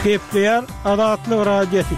Gepleýär Azatlyk Radiosy.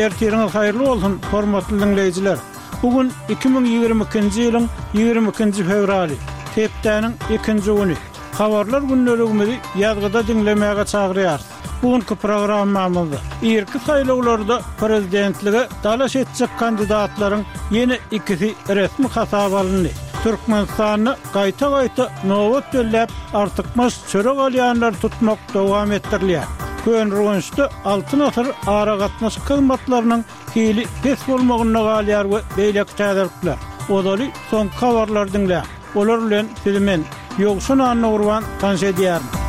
Ertiriňiz haýyrly bolsun, hormatly diňleýjiler! Bu gün 2022-nji ýylyň 22-nji fewraly, hepdäniň ikinji güni. Habarlar gündeligimizi ýazgyda diňlemäge çagyrýarys. Bu günki programmamyzda irki saýlawlarda prezidentlige dalaş etjek kandidatlaryň ýene ikisi resmi hasaba alyndy. Türkmenistanda gaýta-gaýta nobat belläp, artykmaç çörek alýanlary tutmak dowam etdirilýär. Köneürgençde Altyn asyr aragatnaşyk hyzmatlarynyň hili pes bolmagynda galýar we beýleki täzelikler. Ozaly soňky habarlary diňläň. Olar bilen sizi men, Ýowşan Annagurban tanyş edýärin.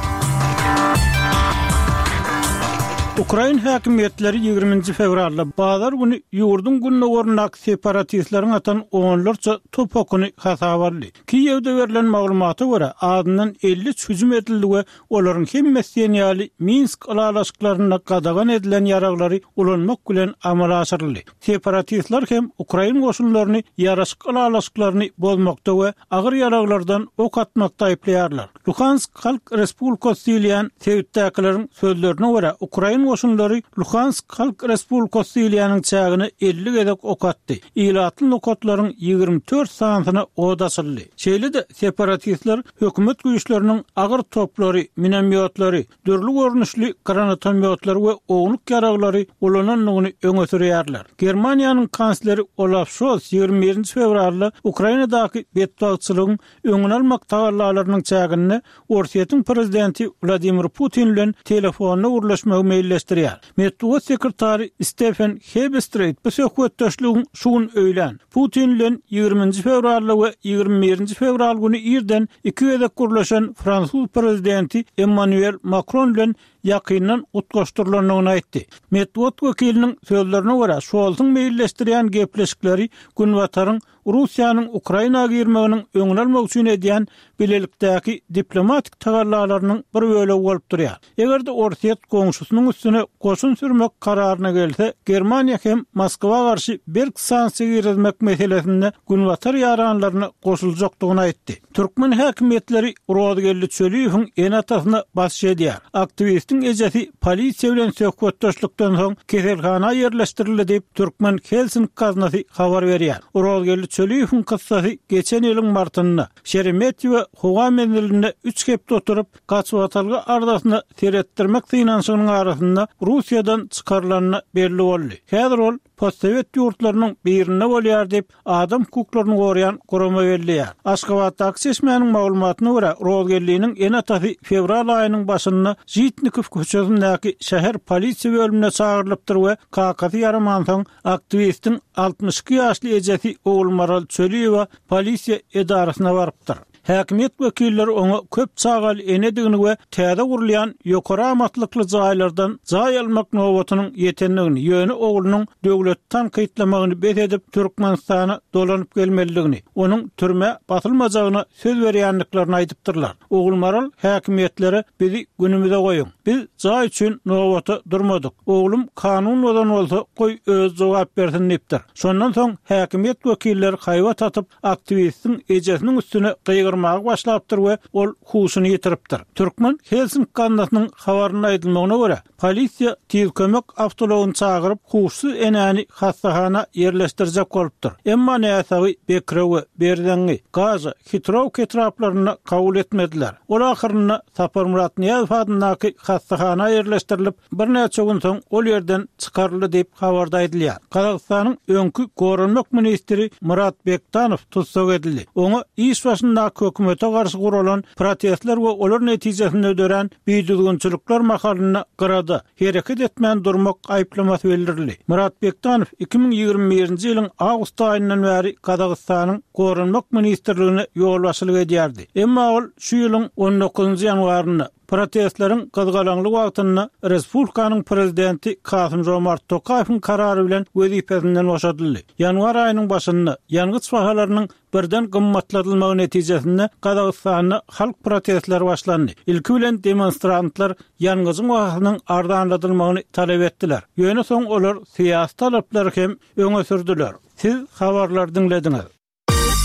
Ukrain häkimiýetleri ýigriminji fewralda, bazar güni ýurduň gündogaryndaky separatistleriň atan onlarça top okuny hasaba aldy. Kiýewde berlen maglumata görä, azyndan 53 hüjüm edildi we olaryň hemmesi diýen ýaly Minsk ylalaşyklarynda gadagan edilen ýaraglary ulanmak bilen amala aşyryldy. Separatistler hem ukrain goşunlaryny ýaraşyk ylalaşyklaryny bozmakda we agyr ýaraglardan ok atmakda aýyplaýarlar. Luhansk Halk Respublikasy diýilýän sebitdäkileriň sözlerine görä, ukrain goşunlary Luhansk Halk Respublikasy diýilýäniň çägine 50 gezek ok atdy, ilatly nokatlaryň 24 sanysyna od açyldy. Şeýle-de, separatistler hökümet güýçleriniň agyr toplary, minomýotlary, dürli görnüşli granatomýotlary we ownuk ýaraglary ulanandygyny öňe sürýärler. Germaniýanyň kansleri Olaf Şolz 21-nji fewralda Ukrainadaky betbagtçylygyň öňüni almak tagallalarynyň çäginde Orsýetiň prezidenti Wladimir Putin bilen telefonda gürleşmegi meýilleşdirýär. Metbugat sekretary Stefen Hebestreýt bu söhbetdeşligiň şu gün öýlän, Putin bilen ýigriminji fewralda we 21-nji fewral güni irden iki gezek gürleşen fransuz prezidenti Emmanuel Makron bilen ýakyndan utgaşdyrylandygyny aýtdy. Metbugat wekiliniň sözlerine görä, Şolsuň meýilleşdirýän gepleşikleri Günbataryň Russiýanyň Ukraina girmeginiň öňüni almak üçin edýän bilelikdäki diplomatik tagallalarynyň bir bölegi bolup durýar. Eger-de Orsýet goňşusynyň üstüne goşun sürmek kararyna gelse, Germaniýa hem Moskwa garşy berk sanksiýa girizmek meselesinde Günbatar ýaranlaryna goşuljakdygyny aýtdy. Türkmen häkimiýetleri Rozgeldi Çöliýewiň ene-atasyna basyş edýär. Aktiwistiň ejesi polisiýa bilen söhbetdeşlikden soň keselhana ýerleşdirildi diýip, Türkmen Helsinki gaznasy habar berýär. Rozgeldi Çöliýewiň kyssasy geçen ýylyň martynda Şeremetýewo howa menzilinde üç hepde oturyp, gaçybatalga arzasyna seretdirmek synanyşygynyň arasynda Russiýadan çykarylanda belli boldy. Häzir ol postsowet ýurtlarynyň birinde bolýar diýip, adam hukuklaryny goraýan gurama belleýär. Aşgabatdaky çeşmäniň maglumatyna görä, Rozgeldiniň ene-atasy fewral aýynyň başynda Žitnikow köçesindäki şäher polisiýa bölümine çagyrylypdyr we kakasy ýaramansoň, aktiwistiň 62 ýaşly ejesi Ogulmaral Çöliýewa polisiýa edarasyna barypdyr. Häkimiýet wekilleri oňa köp çagaly enedigini we täze gurulýan ýokary amatlykly jaýlardan jaý almak nobatynyň ýetendigini, ýöne oglunyň döwleti tankytlamagyny bes edip, Türkmenistana dolanyp gelmelidigini, onuň türmä basylmajagyna söz berýändiklerini aýdypdyrlar. Ogulmaral häkimiýetlere bizi günümize goýuň. Biz jaý üçin nobata durmadyk. Oglum kanun bozan bolsa, goý özi jogap bersin diýipdir. Şondan soň häkimiýet wekilleri haýbat atyp, aktiwistiň ejesiniň üstüne gygyrmaga başlapdyr we ol huşuny ýitiripdir. Türkmen Helsinki gaznasynyň habarynda aýdylmagyna görä, polisiýa tiz kömek awtoulagyny çagyryp, huşsuz enäni hassahana ýerleşdirjek bolupdyr. Emma näsagy Bekrewe, Berzeňňi, Gaža, Hitrowka etraplarynda kabul etmediler. Ol ahyrynda Saparmyrat Nyýazow adyndaky hassahana ýerleşdirilip, Birnäçe gün soň ol ýerden çykaryldy diýip, habarda aýdylýar. Gazagystanyň öňki goranmak ministri Murat Bektanow tussag edildi. Oňa iş başyndaky hökümete garşy guralan protestler we olar netijesinde dörän bidüzgünçilikler mahalynda gyrada, hereket etmän durmak aýyplamasy bildirildi. Murat Bektanow 2021-nji ýylyň awgust aýyndan bäri Gazagystanyň Goranmak ministrligine ýolbaşçylyk edýärdi. Emma ol şu ýylyň on dokuzynjy ýanwarynda, Protestleriň gyzgalaňly wagtynda respublikanyň prezidenti Kasym-Žomart Tokaýewiň karary bilen wezipesinden boşadyldy. Ýanwar aýynyň başynda, ýangyç bahalarynyň birden gymmatladylmagy netijesinde Gazagystanda halk protestleri başlandy. Ilki bilen demonstrantlar ýangyjyň bahasynyň arzanladylmagyny talap etdiler. Ýöne soň olar syýasy talaplary hem öňe sürdüler. Siz habarlary diňlediňiz.